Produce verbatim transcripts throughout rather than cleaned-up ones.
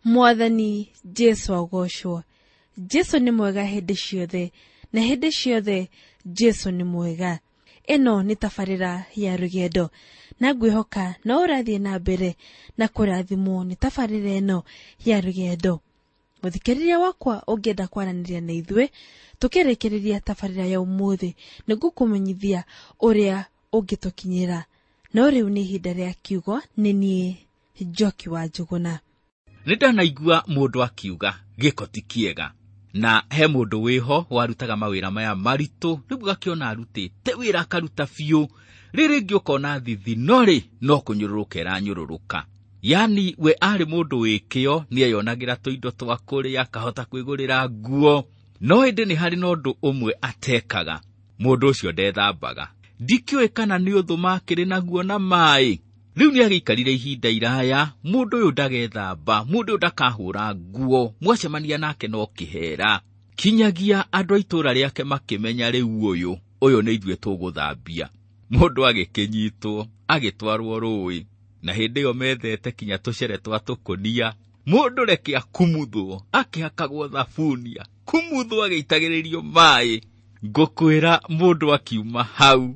Mwathani Jesu agocwo. Jesu nĩ mwega hĩndĩ ciothe, na hĩndĩ ciothe Jesu nĩ mwega. Ĩno nĩ tabarĩra ya rũgendo, na ngwĩhoka no ũrathiĩ na mbere na kũrathimwo nĩ tabarĩra ĩno ya rũgendo. Mũthikĩrĩria wakwa, ũngĩenda kwaranĩria na ithuĩ tũkĩrĩkĩrĩria tabarĩra ya ũmũthĩ, nĩngũkũmenyithia ũrĩa ũngĩtũkinyĩra. No rĩu nĩ ihinda rĩa kiugo, nĩ niĩ Njoki wa Njũgũna. Nĩ ndanaigua mũndũ akiuga gĩko ti kĩega, na he mũndũ wĩho warutaga mawĩra maya maritũ, rĩu ũgakĩona arutĩte wĩra akaruta biũ, rĩrĩ rĩngĩ ũkona thithi no rĩ no kũnyũrũrũka ĩranyũrũrũka. Yani we arĩ mũndũ wĩ kĩo, nĩeyonagĩra tũindo twa kũrĩa, akahota kwĩgũrĩra nguo, no ĩndĩ nĩ harĩ na ũndũ ũmwe atekaga, mũndũ ũcio ndethambaga. Ndikĩũĩ kana nĩ ũthũ makĩrĩ naguo na maĩ. Rĩu nĩagĩikarire ihinda iraya, mũndũ ũyũ ndagethamba, mũndũ ũyũ ndakahũra nguo, mwacemania nake no kĩhera. Kinyagia andũ a itũũra rĩake makĩmenya rĩu ũyũ, ũyũ nĩ ithuĩ tũgũthambia. Mũndũ agĩkĩnyitwo, agĩtwarwo rũĩ, na hĩndĩ ĩyo methete kinya tũcere twa tũkũnia. Mũndũ reke akumuthwo, akĩhakagwo thabunia, kumuthwo agĩitagĩrĩrio maĩ. Ngũkwĩra mũndũ akiuma hau,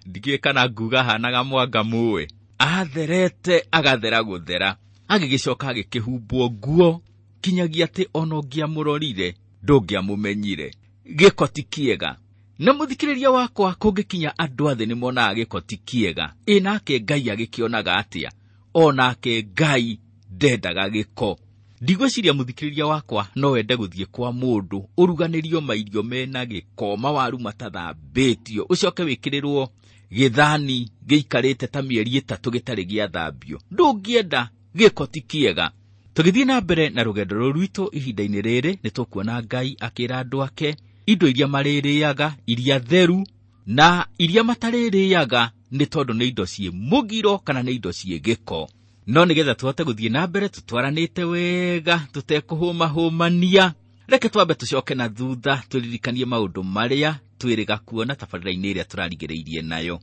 ndikĩũĩ kana nguga ahanaga mwanga mũĩ, atherete agathera gũthera, agĩgĩcoka agĩkĩhumbwo nguo, kinyagia atĩ ona ũngĩamũrorire ndũngĩamũmenyire. Gĩko ti kĩega. Na mũthikĩrĩria wakwa, kũngĩkinya andũ a thĩ nĩmonaga gĩko ti kĩega, ĩ nake Ngai agĩkĩonaga atĩa? Onake Ngai ndendaga gĩko. Ndigwĩciria mũthikĩrĩria wakwa no wende gũthiĩ kwa mũndũ ũruganĩrio mairio mena gĩko, mawaru matathambĩtio, ũcoke wĩkĩrĩrwo gĩthani gĩikarĩte ta mĩeri ĩtatũ gĩtarĩ gĩathambio. Ndũngĩenda, gĩko ti kĩega. Tũgĩthiĩ na mbere na rũgendo rũrũ rwitũ ihinda-inĩ rĩrĩ, nĩtũkuona Ngai akĩra andũ ake indo iria marĩrĩaga, iria theru na iria matarĩrĩaga, nĩ tondũ nĩ indo ciĩ mũgiro kana nĩ indo ciĩ gĩko. No nĩgetha tũhote gũthiĩ na mbere tũtwaranĩte wega, tũtekũhũmahũmania, reke twambe tũcoke na thutha tũririkanie maũndũ marĩa twĩrĩga kuona tabarĩra-inĩ ĩrĩa tũrarigĩrĩirie nayo.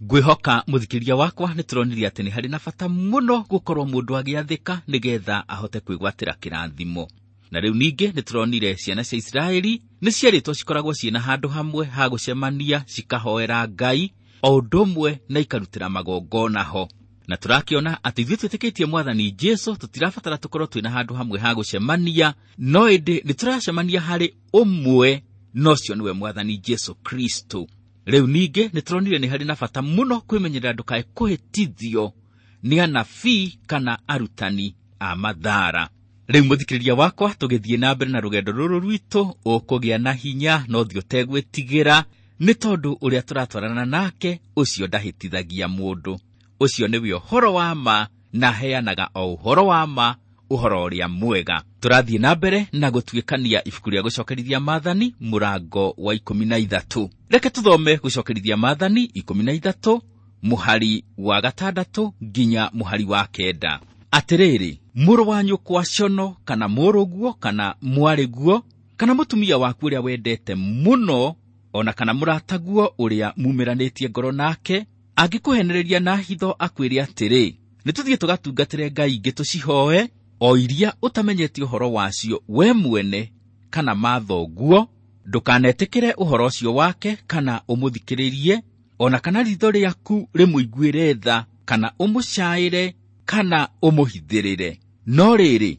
Ngwĩhoka mũthikĩrĩria wakwa nĩ tũronire atĩ nĩ harĩ na bata mũno gũkorwo mũndũ agĩathĩka nĩgetha ahote kwĩgwatĩra kĩrathimo. Na rĩu ningĩ nĩ tũronire ciana cia Isiraeli nĩ ciarĩtwo cikoragwo ciĩna handũ hamwe ha gũcemania, cikahoera Ngai o ũndũ ũmwe na ikarutĩra magongona ho. Na tũrakĩona atĩ ithuĩ twĩtĩkĩtie Mwathani Jesu tũtirabatara tũkorwo twĩna handũ hamwe ha gũcemania, no ĩndĩ nĩ tũracemania harĩ ũmwe, na ũcio nĩwe Mwathani Jesu Kristo. Rĩu ningĩ nĩ tũronire nĩ harĩ na bata mũno kwĩmenyerera ndũkae kũhĩtithio nĩ anabii kana arutani a mathara. Rĩu mũthikĩrĩria wakwa, tũgĩthiĩ na mbere na rũgendo rũrũ rwitũ, ũkũgĩa na hinya na ũthiĩ ũtegwĩtigĩra, nĩ tondũ ũrĩa tũratwarana nake ũcio ndahĩtithagia mũndũ. Ũcio nĩwe ũhoro wa ma, na aheanaga o ũhoro wa ma, ũhoro ũrĩa mwega. Tũrathiĩ na mbere na gũtuĩkania ibuku rĩa gũcokerithia Maathani mũrango wa ikũmi na ithatũ. Reke tũthome gũcokerithia Maathani ikũmi na ithatũ mũhari wa gatandatũ nginya mũhari wa kenda. Atĩrĩrĩ, mũrũ wa nyũkwa cono kana mũrũguo kana mwarĩguo kana mũtumia waku ũrĩa wendete mũno, ona kana mũrataguo ũrĩa mumĩranĩtie ngoro nake, angĩkũhenereria na hitho akwĩre atĩrĩ, nĩ tũthiĩ tũgatungatĩre ngai ingĩ tũcihoe, o iria ũtamenyete ũhoro wacio we mwene kana mathoguo, ndũkanetĩkĩre ũhoro ũcio wake kana ũmũthikĩrĩrie, ona kana ritho rĩaku rĩmũiguĩre tha kana ũmũcaĩre kana ũmũhithĩrĩre. No rĩrĩ,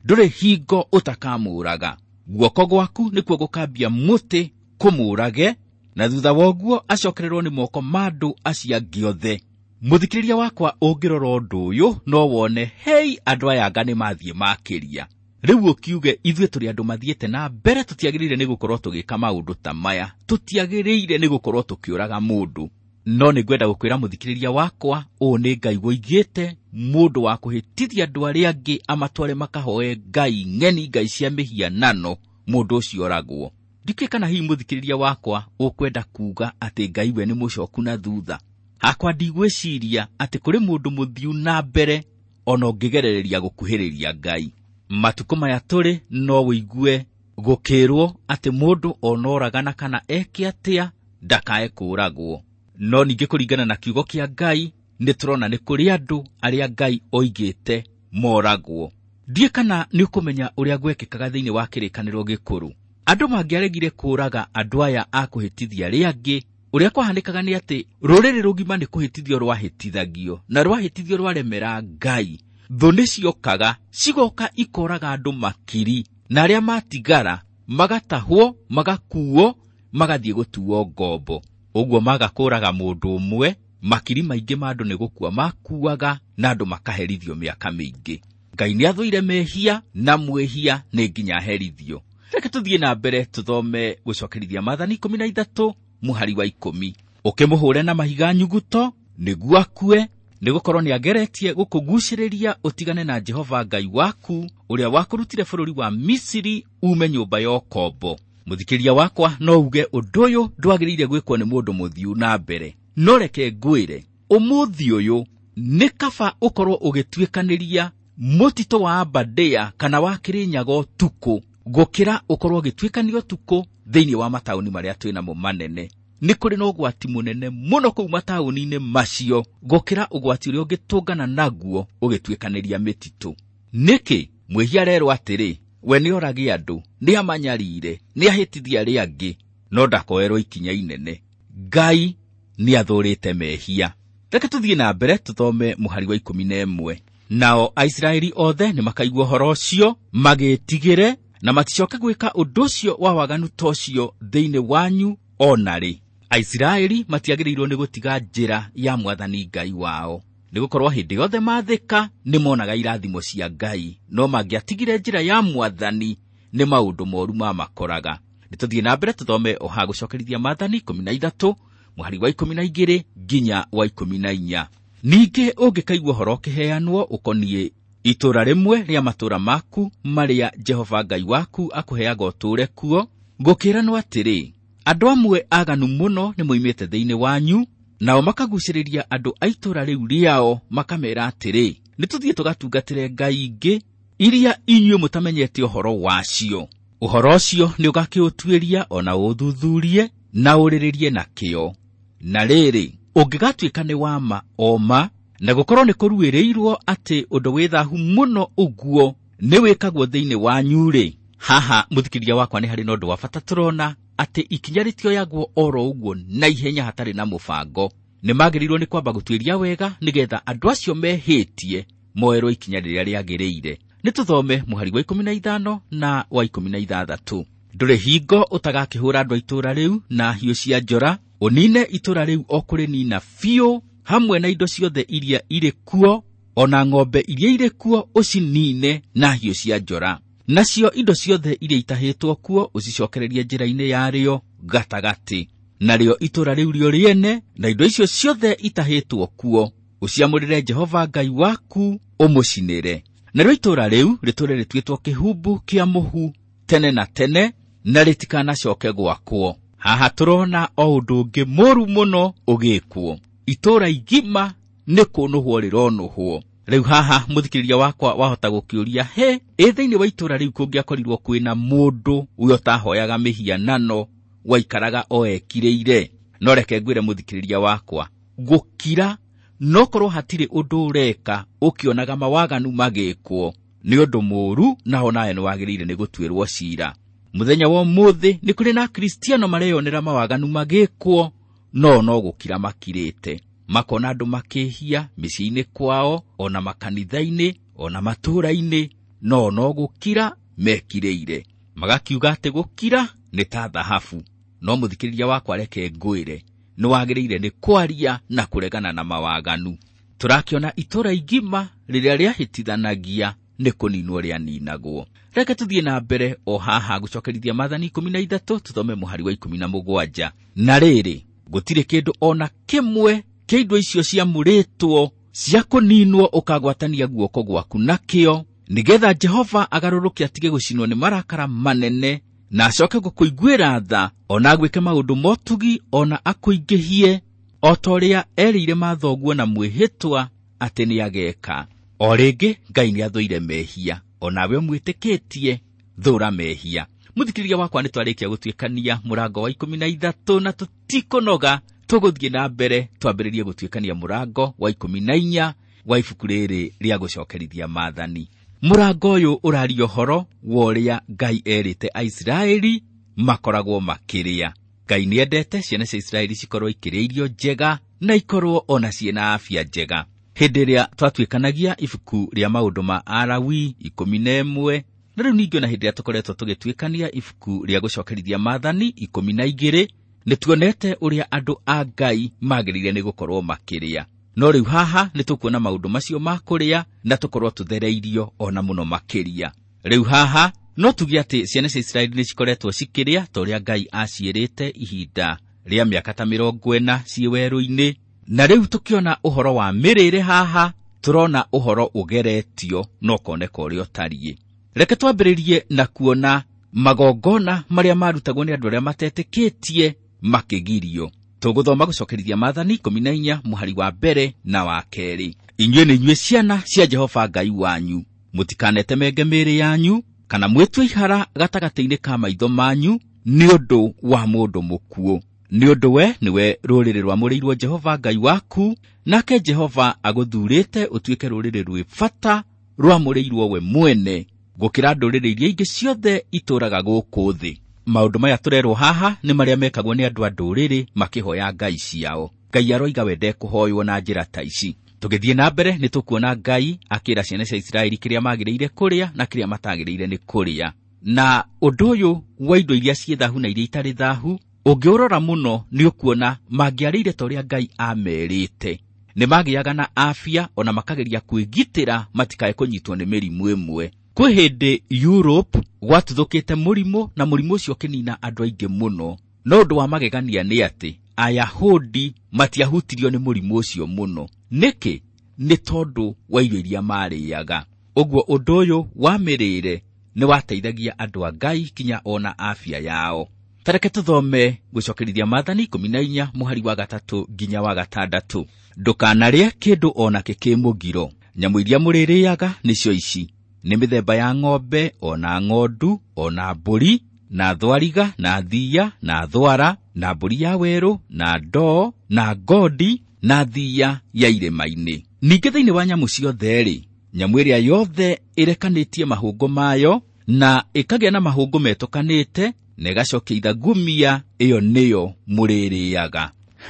ndũrĩ hingo ũtakamũũraga. Guoko gwaku nĩkuo gũkambia mũtĩ kũmũũrage, na thutha wa ũguo acokererwo nĩ moko ma andũ acio angĩ othe. Mũthikĩrĩria wakwa, ũngĩrora ũndũ ũyũ no wone, hei, andũ aya anga nĩ mathiĩ makĩria. Rĩu ũkiuge ithuĩ tũrĩ andũ mathiĩte na mbere, tũtiagĩrĩire nĩ gũkorwo tũgĩka maũndũ ta maya, tũtiagĩrĩire nĩ gũkorwo tũkĩũraga mũndũ. No nĩ ngwenda gũkwĩra mũthikĩrĩria wakwa, ũũ nĩ Ngai woigĩte, mũndũ wa kũhĩtithia andũ arĩa angĩ amatware makahoe ngai ng'eni, ngai cia mĩhianano, mũndũ ũcio oragwo. Ndikĩũĩ kana hihi mũthikĩrĩria wakwa ũkwenda kuuga atĩ Ngai we nĩ mũcoku na thutha. Hakwa ndigwĩciria atĩ kũrĩ mũndũ mũthiu na mbere ona ũngĩgerereria gũkuhĩrĩria Ngai. Matukũ maya tũrĩ no wĩigue gũkĩrwo atĩ mũndũ ona oragana kana eke atĩa ndakae kũũragwo. No ningĩ kũringana na kiugo kĩa Ngai nĩ tũrona nĩ kũrĩ andũ arĩa Ngai oigĩte moragwo. Ndiĩ kana nĩ ũkũmenya ũrĩa gwekĩkaga thĩinĩ wa kĩrĩkanĩro gĩkũrũ. Andũ mangĩaregire kũũraga andũ aya a kũhĩtithia arĩa angĩ, ũrĩa kwahanĩkaga nĩ atĩ rũrĩrĩ rũgima nĩ kũhĩtithio rwahĩtithagio, na rwahĩtithio rwaremera Ngai. Thũ nĩciokaga cigoka ikoraga andũ makiri, na arĩa matigara magatahwo, magakuo, magathiĩ gũtuo ngombo. Ũguo maga kũũraga mũndũ ũmwe, makiri maingĩ ma andũ nĩ gũkua makuaga, na andũ makaherithio mĩaka mĩingĩ. Ngai nĩathũire mehia, na mwĩhia nĩ nginya aherithio. Reke tũthiĩ na mbere tũthome gũcokerithia maathani ikũmi na ithatũ mũhari wa ikũmi. Ũkĩmũhũre na mahiga nyuguto nĩguo akue, nĩgũkorwo nĩageretie gũkũgucĩrĩria ũtigane na Jehova Ngai waku, ũrĩa wakũrutire bũrũri wa Misiri ume nyũmba ya ũkombo. Mũthikĩria wakwa, no uge ũndũ ũyũ ndwagĩrĩire gwĩkwo nĩ mũndũ mũthiu na mbere. No reke ngwĩre, ũmũthĩ ũyũ nĩ kaba ũkorwo ũgĩtuĩkanĩria mũtitũ wa Aberdare kana wa Kĩrĩnyaga ũtukũ, gũkĩra ũkorwo ũgĩtuĩkania ũtukũ thĩinĩ wa mataũni marĩa twĩnamo manene. Nĩ kũrĩ na ũgwati mũnene mũno kũu mataũni-inĩ macio gũkĩra ũgwati ũrĩa ũngĩtũngana naguo ũgĩtuĩkanĩria mĩtitũ. Nĩkĩ? Mwĩhia arerwo atĩrĩ, we nĩorage andũ, nĩamanyarire, nĩahĩtithia arĩa angĩ, no ndakoerwo ikinya inene. Ngai nĩathũrĩte mehia. Reke tũthiĩ na mbere tũthome mũhari wa ikũmi na ĩmwe. Nao Aisiraeli othe nĩmakaigua ũhoro ũcio, magĩtigĩre, na maticoke gwĩka ũndũ ũcio wa waganu ta ũcio thĩinĩ wanyu o na rĩ. Aisiraeli matiagĩrĩirwo nĩ gũtiga njĩra ya Mwathani Ngai wao, nĩgũkorwo hĩndĩ yothe maathĩka nĩmonaga irathimo cia Ngai, no mangĩatigire njĩra ya Mwathani nĩ maũndũ moru mamakoraga. Nĩtũthiĩ na mbere tũthome oha gũcokerithia maathani ikũmi na ithatũ mũhari wa ikũmi na igĩrĩ nginya wa ikũmi na inya. Ningĩ ũngĩkaigua ũhoro ũkĩheanwo ũkoniĩ itũũra rĩmwe rĩa matũũra maku marĩa Jehova Ngai waku akũheaga ũtũũre kuo, gũkĩranwo atĩrĩ, andũ amwe aganu mũno nĩmoimĩte thĩinĩ wanyu, nao makagucĩrĩria andũ a itũũra rĩu rĩao, makamera atĩrĩ, nĩtũthiĩ tũgatungatĩre ngai ingĩ iria inyuĩ mũtamenyete ũhoro wacio. Ũhoro ũcio nĩũgakĩũtuĩria o na ũũthuthurie na ũrĩrĩrie na kĩo. Na rĩrĩ, ũngĩgatuĩka nĩ wa ma o ma, na gũkorwo nĩ kũruĩrĩirwo atĩ ũndũ wĩ thahu mũno ũguo nĩwĩkagwo thĩinĩ wanyu-rĩ, haha mũthikĩria wakwa nĩ harĩ na ũndũ wa bata tũrona atĩ ikinya rĩtioyagwo oro ũguo na ihenya hatarĩ na mũbango. Nĩmagĩrĩirwo nĩ kwamba gũtuĩria wega nĩgetha andũ acio mehĩtie moerwo ikinya rĩrĩa rĩagĩrĩire. Nĩtũthome mũhari wa ikũmi na ithano na wa ikũmi na ithathatũ. Ndũrĩ hingo ũtagakĩhũra andũ a itũũra rĩu na hiũ cia njora, ũnine itũũra rĩu o kũrĩnina biũ, hamwe na indo ciothe iria irĩ kuo, o na ng'ombe iria irĩ kuo ũcinine na hiũ cia njora. Nacio indo ciothe iria itahĩtwo kuo ũcicokererie njĩra-inĩ yarĩo gatagatĩ. Narĩo itũũra rĩu rĩo rĩene, na indo icio ciothe itahĩtwo kuo, ũciamũrĩre Jehova Ngai waku ũmũcinĩre. Narĩo itũũra rĩu rĩtũũre rĩtuĩtwo kĩhumbu kĩa mũhu tene na tene, na rĩtikanacoke gwakwo. Haha tũrona o ũndũ ũngĩ mũru mũno ũgĩkwo. Itũũra igima nĩ kũnũhwo rĩronũhwo. Rĩu haha mũthikĩrĩria wakwa wahota gũkĩũria, he, ĩ thĩinĩ wa itũũra rĩu kũngĩakorirwo kwĩna mũndũ ũrĩa ũtahoyaga mĩhianano waikaraga o ekirĩire? No reke ngwĩre mũthikĩrĩria wakwa, gũkira no korwo hatirĩ ũndũ ũreka ũkĩonaga mawaganu magĩkwo nĩ ũndũ mũũru, naho nawe nĩwagĩrĩire nĩ gũtuĩrwo cira. Mũthenya wa ũmũthĩ nĩ kũrĩ na Akristiano mareyonera mawaganu magĩkwo, no no gũkira makirĩte, makona andũ makĩhia mĩciĩ-inĩ kwao, ona makanitha-inĩ, ona matũũra-inĩ, no no gũkira mekirĩire, magakiuga atĩ gũkira nĩ ta thahabu. No mũthikĩrĩria wakwa, reke ngwĩre, nĩwagĩrĩire nĩ kwaria na kũregana na mawaganu. Tũrakĩona itũũra igima rĩrĩa rĩahĩtithanagia nĩ kũninwo rĩaninagwo. Reke tũthiĩ na mbere o haha gũcokerithia maathani ikũmi na ithatũ, tũthome mũhari wa ikũmi na mũgwanja. Na rĩrĩ, gũtirĩ kĩndũ ona kĩmwe kĩa indo icio ciamũrĩtwo cia kũninwo ũkagwatania guoko gwaku nakĩo, nĩgetha Jehova agarũrũke atige gũcinwo nĩ marakara manene, na acoke gũkũiguĩra tha, ona agwĩke maũndũ motugi, ona akũingĩhie, o ta ũrĩa erĩire mathoguo na mwĩhĩtwa atĩ nĩageka. O rĩngĩ Ngai nĩathũire mehia, onawe ũmwĩtĩkĩtie thũra mehia. Mũthikĩrĩria wakwa, nĩtwarĩkia gũtuĩkania mũrango wa ikũmi na ithatũ, na tũtikũnoga, tũgũthiĩ na mbere twambĩrĩrie gũtuĩkania mũrango wa ikũmi na inya wa ibuku rĩrĩ rĩa gũcokerithia maathani. Mũrango ũyũ ũraria ũhoro wa ũrĩa Ngai erĩte Aisiraeli makoragwo makĩrĩa. Ngai nĩendete ciana cia Isiraeli cikorwo ikĩrĩa irio njega na ikorwo ona ciĩna afya njega. Hĩndĩ ĩrĩa twatuĩkanagia ibuku rĩa maũndũ ma Alawi ikũmi na ĩmwe, na rĩu ningĩ ona hĩndĩ ĩrĩa tũkoretwo tũgĩtuĩkania ibuku rĩa gũcokerithia maathani ikũmi na igĩrĩ, nĩtuonete ũrĩa andũ a Ngai magĩrĩire nĩ gũkorwo makĩrĩa. No rĩu haha nĩtũkuona maũndũ macio ma kũrĩa na tũkorwo tũthereirio ona mũno makĩria. Rĩu haha no tuge atĩ ciana cia Isiraeli nĩcikoretwo cikĩrĩa ta ũrĩa Ngai aciĩrĩte ihinda rĩa mĩaka ta mĩrongo ĩna ciĩ werũ-inĩ. Na rĩu tũkĩona ũhoro wa mĩrĩre haha, tũrona ũhoro ũgeretio na ũkoneka ũrĩa ũtariĩ. Reke twambĩrĩrie na kuona magongona marĩa marutagwo nĩ andũ arĩa matetĩkĩtie makĩgirio. Tũgũthoma gũcokerithia maathani ikũmi na inya mũhari wa mbere na wa kerĩ. Inyuĩ nĩ inyuĩ ciana cia Jehova Ngai wanyu, mũtikanetemenge mĩĩrĩ yanyu kana mwĩtue ihara gatagatĩ-inĩ ka maitho manyu nĩ ũndũ wa mũndũ mũkuũ. Nĩ ũndũ we nĩwe rũrĩrĩ rwamũrĩirwo Jehova Ngai waku, nake Jehova agũthuurĩte ũtuĩke rũrĩrĩ rwĩ bata rwamũrĩirwo we mwene gũkĩra ndũrĩrĩ iria ingĩ ciothe itũũraga gũkũ thĩ. Maũndũ maya tũrerwo haha nĩ marĩa mekagwo nĩ andũ a ndũrĩrĩ makĩhoya ngai ciao. Ngai aroiga we ndekũhoywo na njĩra ta ici. Tũgĩthiĩ na mbere nĩtũkuona Ngai akĩra ciana cia Isiraeli kĩrĩa magĩrĩire kũrĩa na kĩrĩa matagĩrĩire nĩ kũrĩa. Na ũndũ ũyũ wa indo iria ciĩ thahu na iria itarĩ thahu, ũngĩũrora mũno nĩũkuona mangĩarĩire ta ũrĩa Ngai amerĩte. Nĩmagĩaga na afya ona makageria kwĩgitĩra matikae kũnyitwo nĩ mĩrimũ ĩmwe. Kwĩ hĩndĩ Europe gwatuthũkĩte mũrimũ na mũrimũ ũcio ũkĩnina andũ aingĩ mũno. No ũndũ wa magegania nĩ atĩ Ayahudi matiahutirio nĩ mũrimũ ũcio mũno. Nĩkĩ? Nĩ tondũ wa irio iria marĩaga. Ũguo ũndũ ũyũ wa mĩrĩre nĩwateithagia andũ a Ngai kinya ona afya yao. Tareke tũthome gũcokerithia maathani ikũmi na inya mũhari wa gatatũ nginya wa gatandatũ. Ndũkanarĩe kĩndũ ona kĩ kĩ mũgiro. Nyamũ iria mũrĩrĩaga nĩcio ici: nĩ mĩthemba ya ng'ombe, ona ng'ondu, ona mbũri, na thwariga, na thiia, na thwara, na mbũri ya werũ, na ndoo, na ngondi, na thiia ya irĩma-inĩ. Ningĩ thĩinĩ wa nyamũ ciothe-rĩ, nyamũ ĩrĩa yothe ĩrekanĩtie mahũngũ mayo na ĩkagĩa na mahũngũ metũkanĩte na ĩgacokia ithagumia, ĩyo nĩyo mũrĩrĩaga.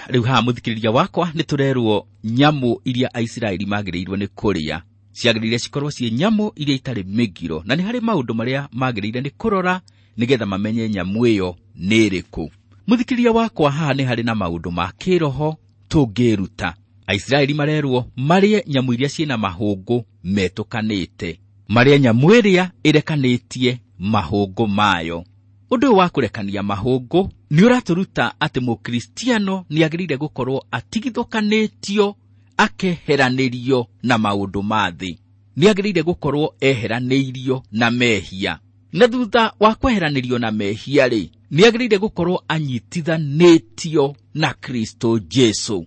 Rĩu haha mũthikĩrĩria wakwa nĩtũrerwo nyamũ iria Aisiraeli magĩrĩirwo nĩ kũrĩa ciagĩrĩire cikorwo ciĩ nyamũ iria itarĩ mĩgiro, na nĩ harĩ maũndũ marĩa magĩrĩire nĩ kũrora nĩgetha mamenye nyamũ ĩyo nĩ ĩrĩkũ. Mũthikĩrĩria wakwa, haha nĩ harĩ na maũndũ ma kĩroho tũngĩruta. Aisiraeli marerwo marĩe nyamũ iria ciĩna mahũngũ metũkanĩte, marĩe nyamũ ĩrĩa ĩrekanĩtie mahũngũ mayo. Ũndũ ũyũ wa kũrekania mahũngũ nĩ ũratũruta atĩ mũkristiano nĩagĩrĩire gũkorwo atigithũkanĩtio, akeheranĩrio na maũndũ ma thĩ. Nĩagĩrĩire gũkorwo eheranĩirio na mehia. Na thutha wa kweheranĩrio na mehia rĩ, nĩagĩrĩire gũkorwo anyitithanĩtio na Kristo Jesu.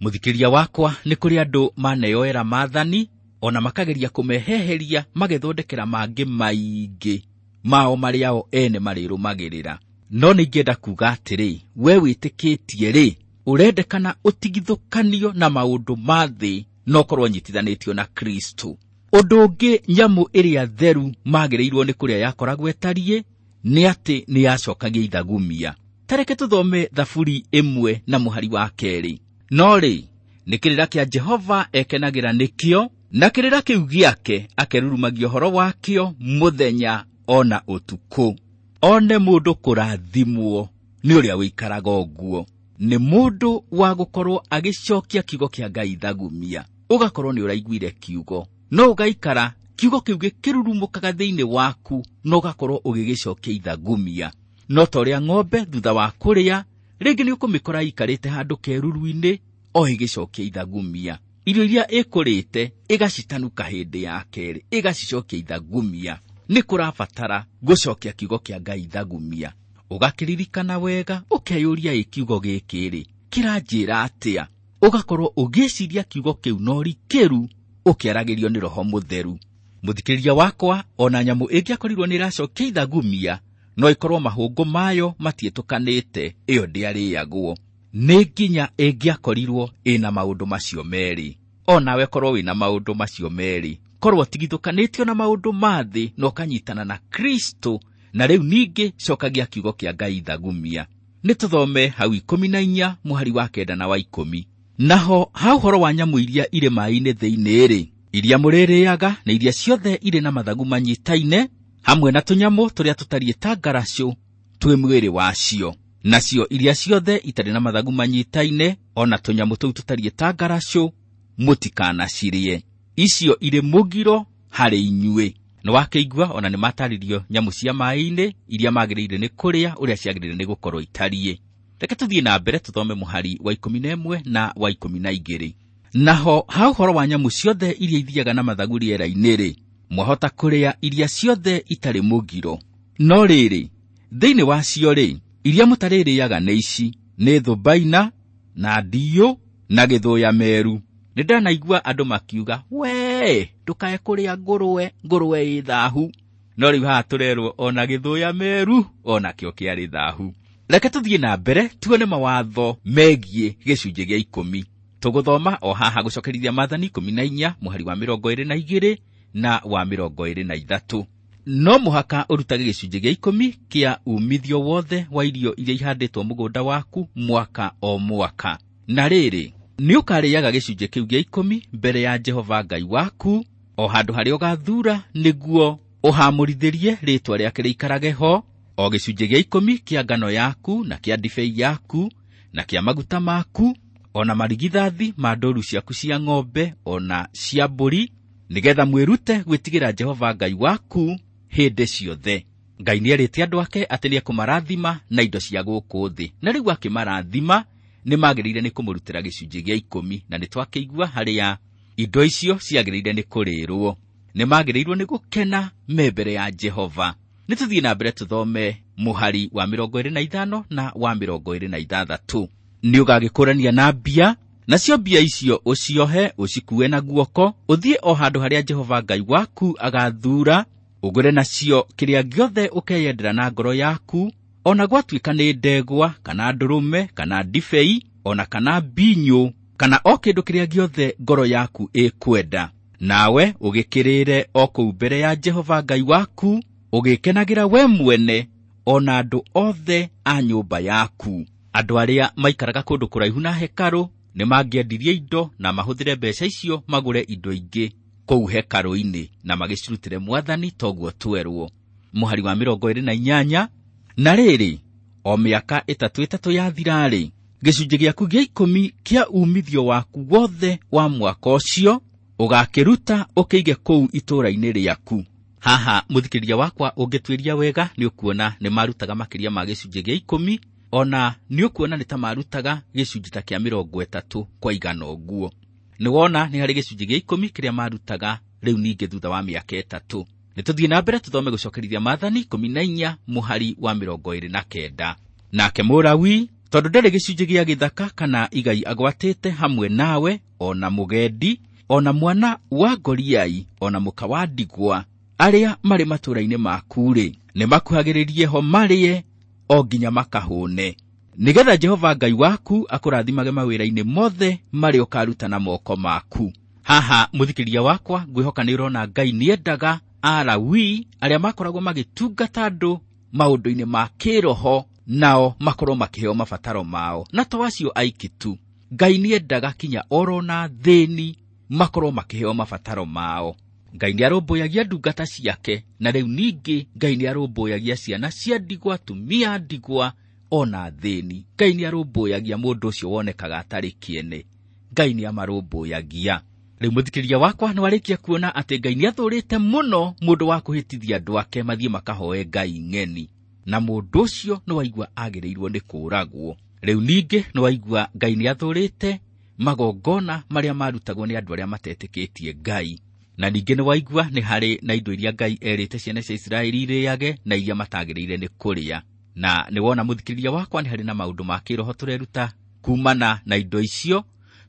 Mũthikĩria wakwa, nĩ kũrĩ andũ maneyoera maathani ona makageria kũmeheheria magethondekera mangĩ maingĩ mao marĩa o ene marĩrũmagĩrĩra. No nĩingĩenda kuga atĩrĩ, we wĩtĩkĩtie rĩ, ũrendekana ũtigithũkanio na maũndũ ma thĩ na ũkorwo ũnyitithanĩtio na Kristo. Ũndũ ũngĩ nyamũ ĩrĩa theru magĩrĩirwo nĩ kũrĩa yakoragwo ĩtariĩ nĩ atĩ nĩ yacokagia ithagumia. Tareke tũthome Thaburi ĩmwe na mũhari wa kerĩ. No rĩ, nĩ kĩrĩra kĩa Jehova ekenagĩra nĩkĩo, na kĩrĩra kĩu gĩake akerurumagia ũhoro wakĩo mũthenya ona ũtukũ. One mũndũ kũrathimwo nĩ ũrĩa ũikaraga ũguo. Nĩ mũndũ wa gũkorwo agĩcokia kiugo kĩa Ngai ithagumia. Ũgakorwo nĩ ũraiguire kiugo, no ũgaikara kiugo kĩu gĩkĩrurumũkaga thĩinĩ waku, no ũgakorwo ũgĩgĩcokia ithagumia. No ta ũrĩa ng'ombe thutha wa kũrĩa, rĩngĩ nĩ ũkũmĩkora ĩikarĩte handũ keruru-inĩ o ĩgĩcokia ithagumia. Irio iria ĩkũrĩte ĩgacitanuka hĩndĩ ya kerĩ, ĩgacicokia ithagumia. Nĩ kũrabatara gũcokia kiugo kĩa Ngai ithagumia. Ũgakĩririkana wega, ũkeyũria ĩ kiugo gĩkĩ rĩ, kĩranjĩra atĩa? Ũgakorwo ũgĩciria kiugo kĩu na ũrikĩru, ũkĩaragĩrio nĩ Roho Mũtheru. Mũthikĩrĩria wakwa, ona nyamũ ĩngĩakorirwo nĩ ĩracokia ithagumia, no ĩkorwo mahũngũ mayo matiĩtũkanĩte, ĩyo ndĩarĩagwo. Nĩ nginya ĩngĩakorirwo ĩna maũndũ macio merĩ. Onawe korwo wĩna maũndũ macio merĩ, Korwo tigithũkanĩtio na maũndũ ma thĩ na ũkanyitana na Kristo, na rĩu ningĩ cokagia kiugo kĩa Ngai thagumia. Nĩ tũthome hau ikũmi na inya mũhari wa kenda na wa ikũmi. Naho ha ũhoro wa nyamũ iria irĩ maĩ-inĩ thĩinĩ-rĩ, iria mũrĩrĩaga na iria ciothe irĩ na mathagu manyitaine, hamwe na tũnyamũ tũrĩa tũtariĩ ta ngaracũ twĩ mwĩrĩ wacio. Nacio iria ciothe itarĩ na mathagu manyitaine, ona tũnyamũ tũu tũtariĩ ta ngaracũ, mũtikanacirĩe. Icio irĩ mũgiro harĩ inyuĩ. Nĩ wakĩigua ona nĩ matarĩrio nyamũ cia maĩ-inĩ iria magĩrĩire nĩ kũrĩa, ũrĩa ciagĩrĩire nĩ gũkorwo itariĩ. Reke tũthiĩ na mbere tũthome mũhari wa ikũmi na ĩmwe na wa ikũmi na igĩrĩ. Naho ha ũhoro wa nyamũ ciothe iria ithiaga na mathagu rĩera-inĩ-rĩ, mwahota kũrĩa iria ciothe itarĩ mũgiro. No rĩrĩ, thĩinĩ wacio-rĩ, iria mũtarĩrĩaga nĩ ici: nĩ thũmbaina, na ndiyũ, na gĩthũya meru. Nĩ ndanaigua andũ makiuga, wee, ndũkae kũrĩa ngũrwe, ngũrwe ĩ thahu. No rĩu haha tũrerwo ona gĩthũya meru, onakĩo kĩarĩ thahu. Reke tũthiĩ na mbere tuone mawatho megiĩ gĩcunjĩ gĩa ikũmi. Tũgũthoma o haha gũcokerithia maathani ikũmi na inya mũhari wa mĩrongo ĩrĩ na igĩrĩ na wa mĩrongo ĩrĩ na ithatũ. No mũhaka ũrutage gĩcunjĩ gĩa ikũmi kĩa umithio wothe wa irio iria ihandĩtwo mũgũnda waku mwaka o mwaka. Na rĩrĩ, nĩ ũkarĩaga gĩcunjĩ kĩu gĩa ikũmi mbere ya Jehova Ngai waku, o handũ harĩa ũgathuura, nĩguo ũhamũrithĩrie rĩĩtwa rĩake rĩikarage ho, o gĩcunjĩ gĩa ikũmi kĩa ngano yaku, na kĩa ndibei yaku, na kĩa maguta maku, ona marigithathi ma ndũũru ciaku cia ng'ombe, ona cia mbũri, nĩgetha mwĩrute gwĩtigĩra Jehova Ngai waku hĩndĩ ciothe. Ngai nĩerĩte andũ ake atĩ nĩekũmarathima na indo cia gũkũ thĩ, na rĩu akĩmarathima nĩ magĩrĩire nĩ kũmũrutĩra gĩcunjĩ gĩa ikũmi, na nĩ twakĩigua harĩa indo icio ciagĩrĩire nĩ kũrĩrwo. Nĩ magĩrĩirwo nĩ gũkena me mbere ya Jehova. Nĩ tũthiĩ na mbere tũthome mũhari wa mĩrongo ĩrĩ na ithano na wa mĩrongo ĩrĩ na ithathatũ. Nĩ ũgagĩkũrania na mbia, nacio mbia icio ũciohe, ũcikue na guoko, ũthiĩ o handũ harĩa Jehova Ngai waku agathuura, ũgũre nacio kĩrĩa gĩothe ũkeyendera na ngoro yaku, ona gwatuĩka nĩ ndegwa, kana ndũrũme, kana ndibei, ona kana mbinyũ, kana o kĩndũ kĩrĩa gĩothe ngoro yaku ĩkwenda. Nawe ũgĩkĩrĩre o kũu mbere ya Jehova Ngai waku, ũgĩkenagĩra we mwene, ona andũ othe a nyũmba yaku. Andũ arĩa maikaraga kũndũ kũraihu na hekarũ nĩ mangĩendirie indo na mahũthĩre mbeca icio magũre indo ingĩ kũu hekarũ-inĩ, na magĩcirutĩre Mwathani toguo twerwo. Mũhari wa mĩrongo ĩrĩ na inyanya. Na rĩrĩ, o mĩaka ĩtatũ ĩtatũ yathira-rĩ, gĩcunjĩ gĩaku gĩa ikũmi kĩa umithio waku wothe wa mwaka ũcio ũgakĩruta ũkĩige kũu itũũra-inĩ rĩaku. Haha mũthikĩrĩria wakwa ũngĩtuĩria wega nĩ ũkuona nĩ marutaga makĩria ma gĩcunjĩ gĩa ikũmi, ona nĩ ũkuona nĩ ta marutaga gĩcunjĩ ta kĩa mĩrongo ĩtatũ kwa igana ũguo. Nĩ wona nĩ harĩ gĩcunjĩ gĩa ikũmi kĩrĩa marutaga rĩu ningĩ thutha wa mĩaka ĩtatũ. Nĩ tũthiĩ na mbere tũthome gũcokerithia maathani ikũmi na inya mũhari wa mĩrongo ĩrĩ na kenda. Nake Mũlawi, tondũ ndarĩ gĩcunjĩ gĩa gĩthaka kana igai agwatĩte hamwe nawe, ona mũgendi, ona mwana wa ngoriai, ona mũka wa ndigwa, arĩa marĩ matũũra-inĩ maku-rĩ, nĩ makuhagĩrĩrie ho marĩe o nginya makahũne, nĩgetha Jehova Ngai waku akũrathimage mawĩra-inĩ mothe marĩa ũkaruta na moko maku. Haha mũthikĩrĩria wakwa, ngwĩhoka nĩ ũrona Ngai nĩendaga Alawi arĩa makoragwo magĩtungata andũ maũndũ-inĩ ma kĩroho, nao makorwo makĩheo mabataro mao, na to acio aiki tu. Ngai nĩendaga kinya orona thĩni makorwo makĩheo mabataro mao. Ngai nĩarũmbũyagia ndungata ciake, na rĩu ningĩ Ngai nĩarũmbũyagia ciana cia ndigwa, atumia a ndigwa, ona thĩni. Ngai nĩarũmbũyagia mũndũ ũcio wonekaga atarĩ kĩene. Ngai nĩamarũmbũyagia. Rĩu mũthikĩrĩria wakwa nĩ warĩkia kuona atĩ Ngai nĩathũrĩte mũno mũndũ wa kũhĩtithia andũ ake mathiĩ makahoe Ngai ng'eni, na mũndũ ũcio nĩ waigua agĩrĩirwo nĩ kũũragwo. Rĩu ningĩ nĩ waigua Ngai nĩathũrĩte magongona marĩa marutagwo nĩ andũ arĩa matetĩkĩtie Ngai. Na ningĩ nĩ waigua nĩ harĩ na indo iria Ngai erĩte ciana cia Isiraeli irĩage na iria matagĩrĩire nĩ kũrĩa. Na nĩ wona mũthikĩrĩria wakwa nĩ harĩ na maũndũ ma kĩroho tũreruta kumana na indo icio,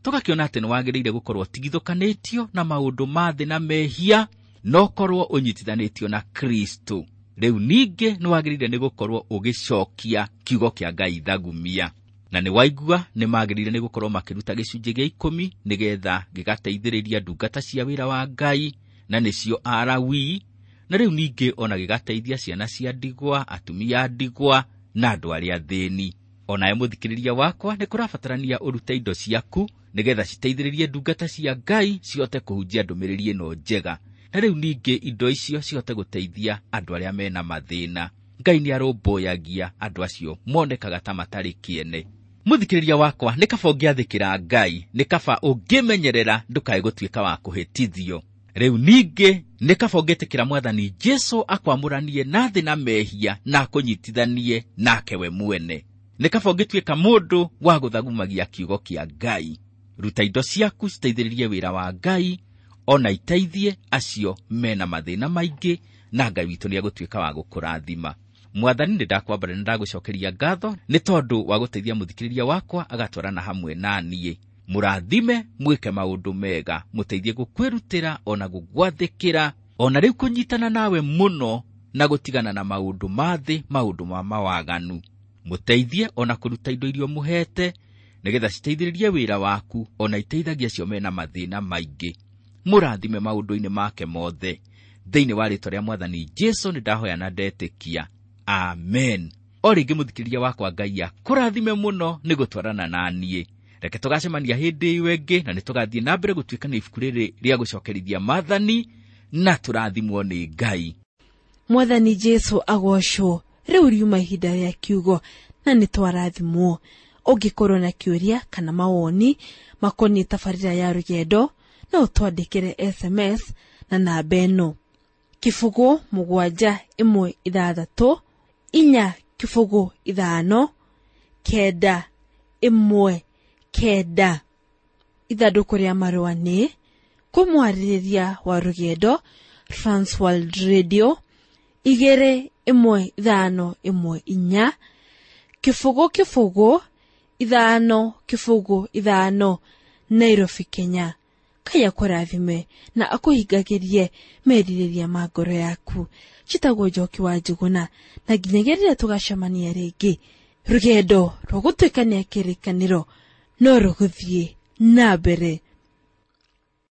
tũgakĩona atĩ nĩ wagĩrĩire gũkorwo ũtigithũkanĩtio na maũndũ ma thĩ na mehia, no korwo ũnyitithanĩtio na Kristo. Rĩu ningĩ nĩ wagĩrĩire nĩ gũkorwo ũgĩcokia kiugo kĩa Ngai thagumia. Na nĩ waigua nĩ magĩrĩire nĩ gũkorwo makĩruta gĩcunjĩ gĩa ikũmi nĩgetha gĩgateithĩrĩria ndungata cia wĩra wa Ngai na nĩcio Alawii, na rĩu ningĩ ona gĩgateithia ciana cia ndigwa, atumia a ndigwa na andũ arĩa athĩni. Onawe mũthikĩrĩria wakwa, nĩ kũrabatarania ũrute indo ciaku nĩgetha citeithĩrĩrie ndungata cia Ngai cihote kũhunjia ndũmĩrĩri ĩno njega, na rĩu ningĩ indo icio cihote gũteithia andũ arĩa mena mathĩna. Ngai nĩ arũmbũyagia andũ acio monekaga ta matarĩ kĩene. Mũthikĩrĩria wakwa, nĩ kaba ũngĩathĩkĩra Ngai, nĩ kaba ũngĩmenyerera ndũkae gũtuĩka wa kũhĩtithio. Rĩu ningĩ nĩ kaba ũngĩtĩkĩra Mwathani Jesũ akwamũranie na thĩ na mehia na akũnyitithanie nake we mwene. Nĩ kaba ũngĩtuĩka mũndũ wa gũthagumagia kiugo kĩa Ngai. Ruta indo ciaku citeithĩrĩrie wĩra wa Ngai, ona iteithie acio mena mathĩna maingĩ, na Ngai witũ nĩ egũtuĩka wa gũkũrathima. Mwathani, nĩ ndakwambara, nĩ ndagũcokeria ngatho nĩ tondũ wa gũteithia mũthikĩrĩria wakwa agatwarana hamwe na niĩ. Mũrathime, mwĩke maũndũ mega, mũteithie gũkwĩrutĩra ona gũgwathĩkĩra, ona rĩu kũnyitana nawe mũno na gũtigana na maũndũ ma thĩ, maũndũ ma mawaganu. Mũteithie ona kũruta indo iria ũmũhete nĩgetha citeithĩrĩrie wĩra waku, ona iteithagia acio mena mathĩna maingĩ. Mũrathime maũndũ-inĩ make mothe. Thĩinĩ wa rĩĩtwa rĩa Mwathani Jesũ nĩ ndahoya na ndetĩkia. Amen. O rĩngĩ mũthikĩrĩria wakwa, Ngai akũrathime mũno nĩ gũtwarana na niĩ. Reke tũgacemania hĩndĩ ĩyo ĩngĩ, na nĩ tũgathiĩ na mbere gũtuĩka nĩ ibuku rĩrĩ rĩa gũcokerithia maathani, na tũrathimwo nĩ Ngai. Mwathani Jesũ agocwo. Rĩu riuma ihinda rĩa kiugo na nĩ twarathimwo. Ũngĩkorwo na kĩũria kana mawoni makoniĩ tabarĩra ya rũgendo, no ũtwandĩkĩre S M S na namba ĩno: kĩbũgũ mũgwanja ĩmwe ithathatũ inya kĩbũgũ ithano kenda ĩmwe kenda. Ithandũkũ rĩa marũa nĩ kũmwarĩrĩria wa rũgendo, Transworld Radio igĩrĩ ĩmwe ithano ĩmwe inya kĩbũgũ kĩbũgũ ithano kĩbũgũ ithano, Nairobi, Kenya. Ngai akũrathime na akũhingagĩrie merirĩria ma ngoro yaku. Njĩtagwo Njoki wa Njũgũna, na nginyagia rĩrĩa tũgacemania rĩngĩ, rũgendo rwa gũtuĩkania kĩrĩkanĩro no rũgũthiĩ na mbere.